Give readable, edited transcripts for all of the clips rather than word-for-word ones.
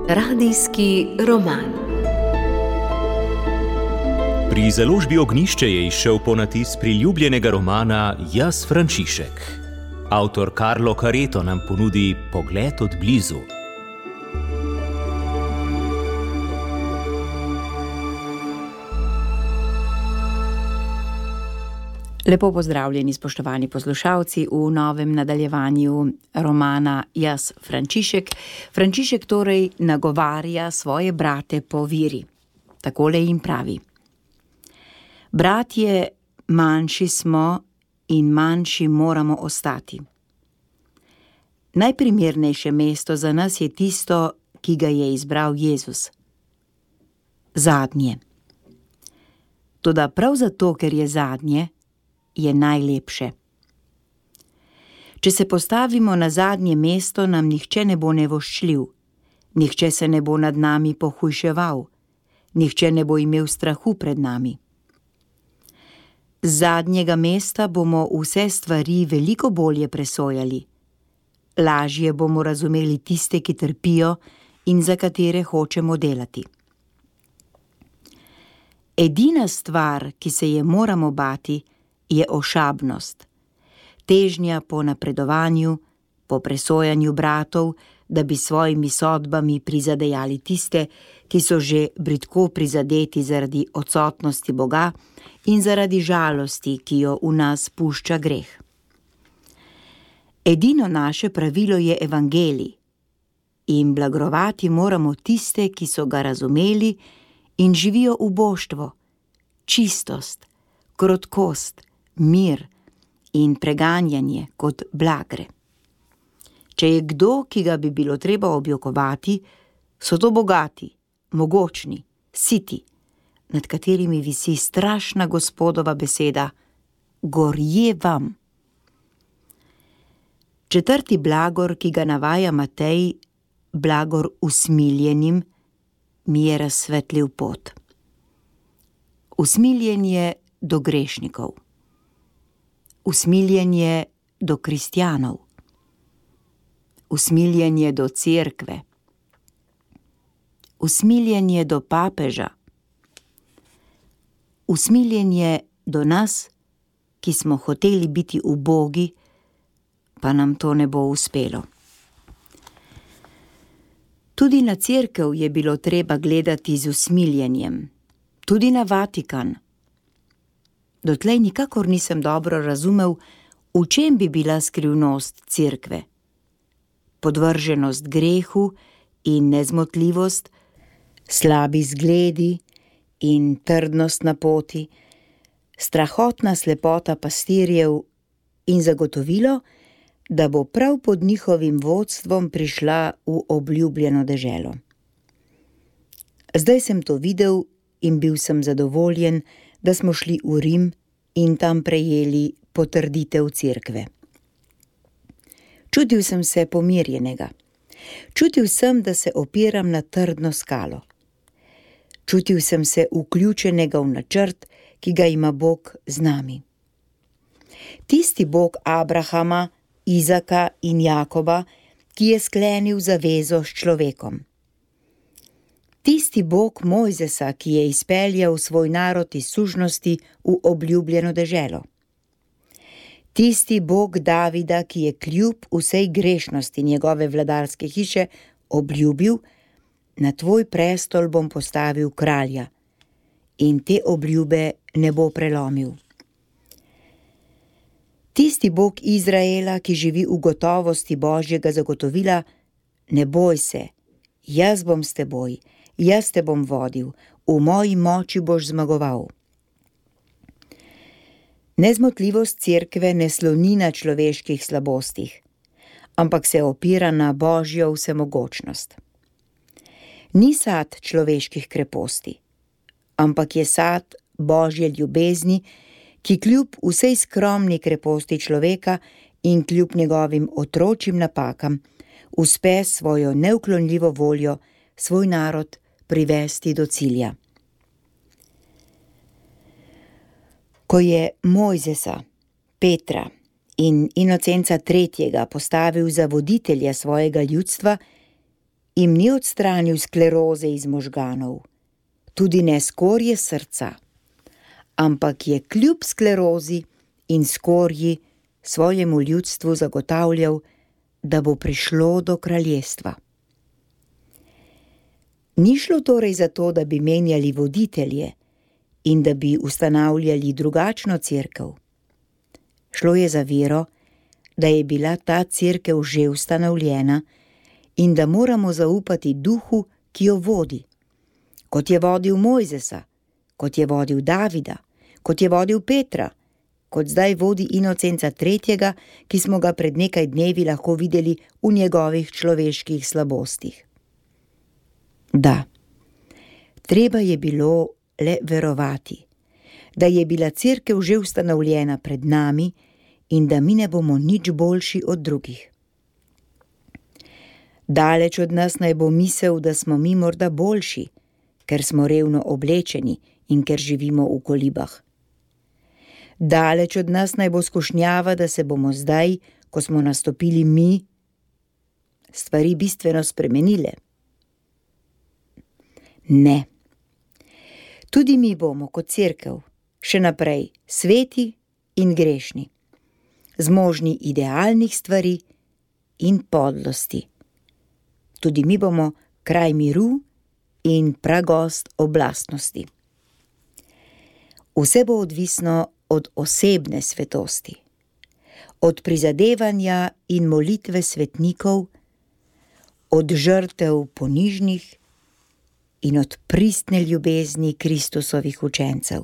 Radijski roman. Pri založbi Ognjišče je izšel ponatis priljubljenega romana Jaz, Frančišek. Avtor Carlo Careto nam ponudi pogled od blizu. Lepo pozdravljeni, spoštovani poslušalci, v novem nadaljevanju romana Jaz, Frančišek. Frančišek torej nagovarja svoje brate po veri. Takole jim pravi: Bratje, manjši smo in manjši moramo ostati. Najprimernejše mesto za nas je tisto, ki ga je izbral Jezus. Zadnje. Toda prav zato, ker je zadnje, je najlepše. Če se postavimo na zadnje mesto, nam nihče ne bo nevoščljiv, nihče se ne bo nad nami pohujševal, nihče ne bo imel strahu pred nami. Z zadnjega mesta bomo vse stvari veliko bolje presojali. Lažje bomo razumeli tiste, ki trpijo in za katere hočemo delati. Edina stvar, ki se je moramo bati, je ošabnost, težnja po napredovanju, po presojanju bratov, da bi svojimi sodbami prizadejali tiste, ki so že bridko prizadeti zaradi odsotnosti Boga in zaradi žalosti, ki jo v nas pušča greh. Edino naše pravilo je evangelij in blagrovati moramo tiste, ki so ga razumeli in živijo uboštvo, čistost, krotkost, mir in preganjanje kot blagre. Če je kdo, ki ga bi bilo treba objokovati, so to bogati, mogočni, siti, nad katerimi visi strašna Gospodova beseda: gorje vam. Četrti blagor, ki ga navaja Matej, blagor usmiljenim, mi je razsvetlil pot. Usmiljenje do grešnikov. Usmiljenje do kristjanov. Usmiljenje do cerkve. Usmiljenje do papeža. Usmiljenje do nas, ki smo hoteli biti ubogi, pa nam to ne bo uspelo. Tudi na cerkev je bilo treba gledati z usmiljenjem, tudi na Vatikan. Dotlej nikakor nisem dobro razumel, v čem bi bila skrivnost cerkve. Podvrženost grehu in nezmotljivost, slabi zgledi in trdnost na poti, strahotna slepota pastirjev in zagotovilo, da bo prav pod njihovim vodstvom prišla v obljubljeno deželo. Zdaj sem to videl in bil sem zadovoljen, da smo šli v Rim in tam prejeli potrditev cerkve. Čutil sem se pomirjenega. Čutil sem, da se opiram na trdno skalo. Čutil sem se vključenega v načrt, ki ga ima Bog z nami. Tisti Bog Abrahama, Izaka in Jakoba, ki je sklenil zavezo s človekom. Tisti Bog Mojzesa, ki je izpeljal svoj narod iz sužnosti v obljubljeno deželo. Tisti Bog Davida, ki je kljub vsej grešnosti njegove vladarske hiše obljubil: na tvoj prestol bom postavil kralja, in te obljube ne bo prelomil. Tisti Bog Izraela, ki živi v gotovosti Božjega zagotovila: ne boj se, jaz bom s teboj, jaz te bom vodil, v moji moči boš zmagoval. Nezmotljivost cerkve ne sloni na človeških slabostih, ampak se opira na Božjo vsemogočnost. Ni sad človeških kreposti, ampak je sad Božje ljubezni, ki kljub vsej skromni kreposti človeka in kljub njegovim otročjim napakam uspe svojo neuklonljivo voljo svoj narod privesti do cilja. Ko je Mojzesa, Petra in Inocenca III. Postavil za voditelja svojega ljudstva, jim ni odstranil skleroze iz možganov, tudi ne skorje srca, ampak je kljub sklerozi in skorji svojemu ljudstvu zagotavljal, da bo prišlo do kraljestva. Ni šlo torej za to, da bi menjali voditelje in da bi ustanavljali drugačno cerkev. Šlo je za vero, da je bila ta cerkev že ustanovljena in da moramo zaupati duhu, ki jo vodi, kot je vodil Mojzesa, kot je vodil Davida, kot je vodil Petra, kot zdaj vodi Inocenca III., ki smo ga pred nekaj dnevi lahko videli v njegovih človeških slabostih. Da, treba je bilo le verovati, da je bila cerkev že ustanovljena pred nami in da mi ne bomo nič boljši od drugih. Daleč od nas naj bo misel, da smo mi morda boljši, ker smo revno oblečeni in ker živimo v kolibah. Daleč od nas naj bo skušnjava, da se bomo zdaj, ko smo nastopili mi, stvari bistveno spremenile. Ne. Tudi mi bomo kot cerkev še naprej sveti in grešni, zmožni idealnih stvari in podlosti. Tudi mi bomo kraj miru in pragost oblastnosti. Vse bo odvisno od osebne svetosti, od prizadevanja in molitve svetnikov, od žrtev ponižnih in od pristne ljubezni Kristusovih učencev.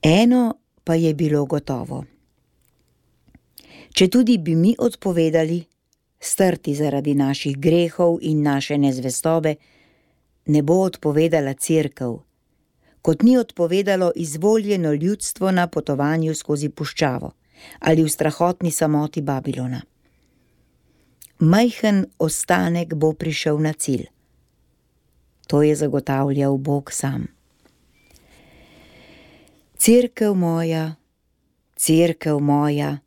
Eno pa je bilo gotovo. Četudi bi mi odpovedali, strti zaradi naših grehov in naše nezvestobe, ne bo odpovedala cerkev, kot ni odpovedalo izvoljeno ljudstvo na potovanju skozi puščavo ali v strahotni samoti Babilona. Majhen ostanek bo prišel na cilj. To je zagotavljal Bog sam. Cerkev moja,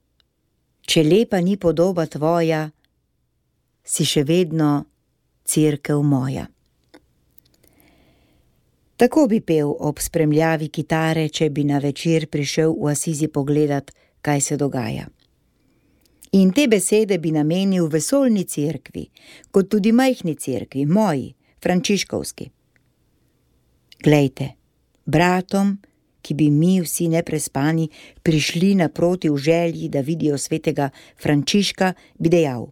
če lepa ni podoba tvoja, si še vedno cerkev moja. Tako bi pel ob spremljavi kitare, če bi na večer prišel v Asizi pogledat, kaj se dogaja. In te besede bi namenil vesoljni cerkvi, kot tudi majhni cerkvi, moji, frančiškovski. Glejte, bratom, ki bi mi vsi neprespani prišli naproti v želji, da vidijo svetega Frančiška, bi dejal: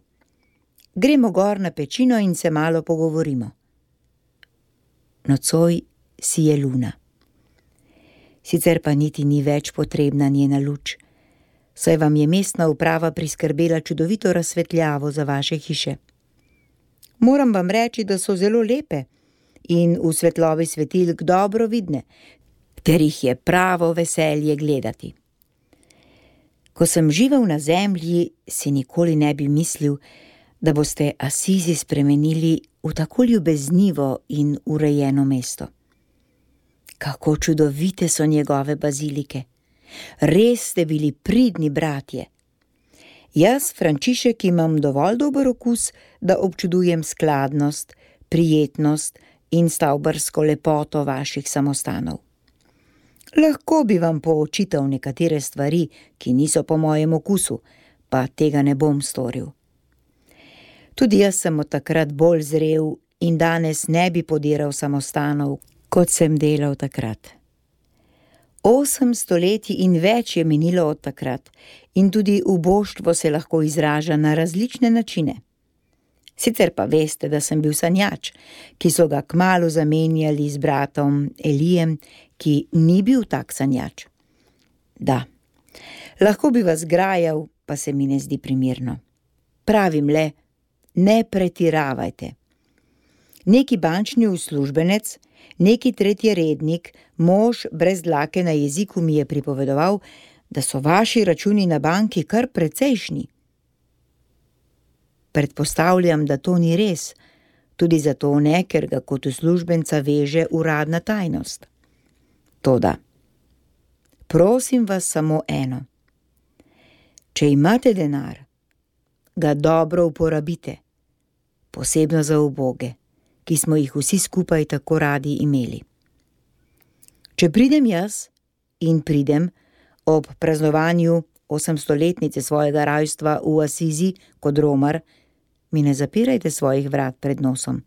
gremo gor na pečino in se malo pogovorimo. Nocoj sije luna. Sicer pa niti ni več potrebna njena luč, saj vam je mestna uprava priskrbela čudovito razsvetljavo za vaše hiše. Moram vam reči, da so zelo lepe in v svetlobi svetilk dobro vidne, ter jih je pravo veselje gledati. Ko sem živel na zemlji, si nikoli ne bi mislil, da boste Asizi spremenili v tako ljubeznivo in urejeno mesto. Kako čudovite so njegove bazilike. Res ste bili pridni bratje. Jaz, Frančišek, imam dovolj dober okus, da občudujem skladnost, prijetnost in stavbarsko lepoto vaših samostanov. Lahko bi vam poočital nekatere stvari, ki niso po mojem okusu, pa tega ne bom storil. Tudi jaz sem od takrat bolj zrel in danes ne bi podiral samostanov, kot sem delal takrat. 8 stoletij in več je minilo od takrat in tudi uboštvo se lahko izraža na različne načine. Sicer pa veste, da sem bil sanjač, ki so ga kmalu zamenjali z bratom Elijem, ki ni bil tak sanjač. Da, lahko bi vas grajal, pa se mi ne zdi primerno. Pravim le, ne pretiravajte. Neki bančni uslužbenec, neki tretjerednik, mož brez dlake na jeziku mi je pripovedoval, da so vaši računi na banki kar precejšnji. Predpostavljam, da to ni res, tudi zato ne, ker ga kot uslužbenca veže uradna tajnost. Toda, prosim vas samo eno. Če imate denar, ga dobro uporabite, posebno za uboge, ki smo jih vsi skupaj tako radi imeli. Če pridem jaz in pridem ob praznovanju 800-letnice svojega rojstva v Asizi kot romar, mi ne zapirajte svojih vrat pred nosom,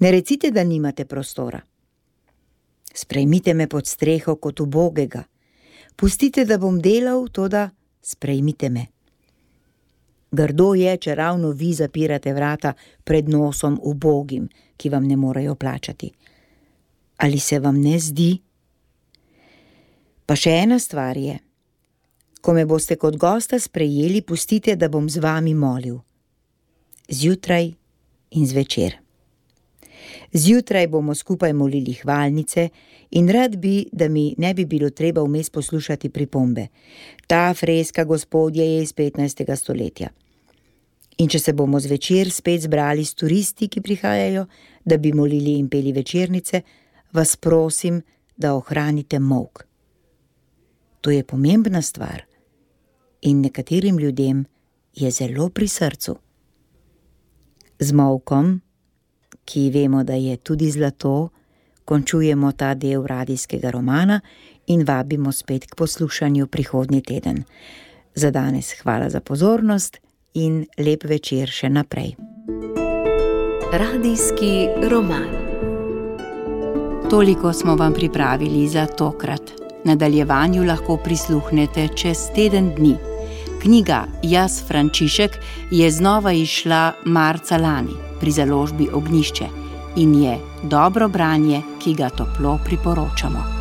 ne recite, da nimate prostora. Sprejmite me pod streho kot ubogega, pustite, da bom delal, toda sprejmite me. Grdo je, če ravno vi zapirate vrata pred nosom ubogim, ki vam ne morejo plačati. Ali se vam ne zdi? Pa še ena stvar je. Ko me boste kot gosta sprejeli, pustite, da bom z vami molil. Zjutraj in zvečer. Zjutraj bomo skupaj molili hvalnice in rad bi, da mi ne bi bilo treba vmes poslušati pripombe. Ta freska, gospodje, je iz 15. stoletja. In če se bomo zvečer spet zbrali s turisti, ki prihajajo, da bi molili in peli večernice, vas prosim, da ohranite molk. To je pomembna stvar in nekaterim ljudem je zelo pri srcu. Z molkom, ki vemo, da je tudi zlato, končujemo ta del radijskega romana in vabimo spet k poslušanju prihodnji teden. Za danes hvala za pozornost in lep večer še naprej. Radijski roman. Toliko smo vam pripravili za tokrat. Nadaljevanju lahko prisluhnete čez teden dni. Knjiga Jaz Frančišek je znova izšla marca lani pri založbi Ognjišče in je dobro branje, ki ga toplo priporočamo.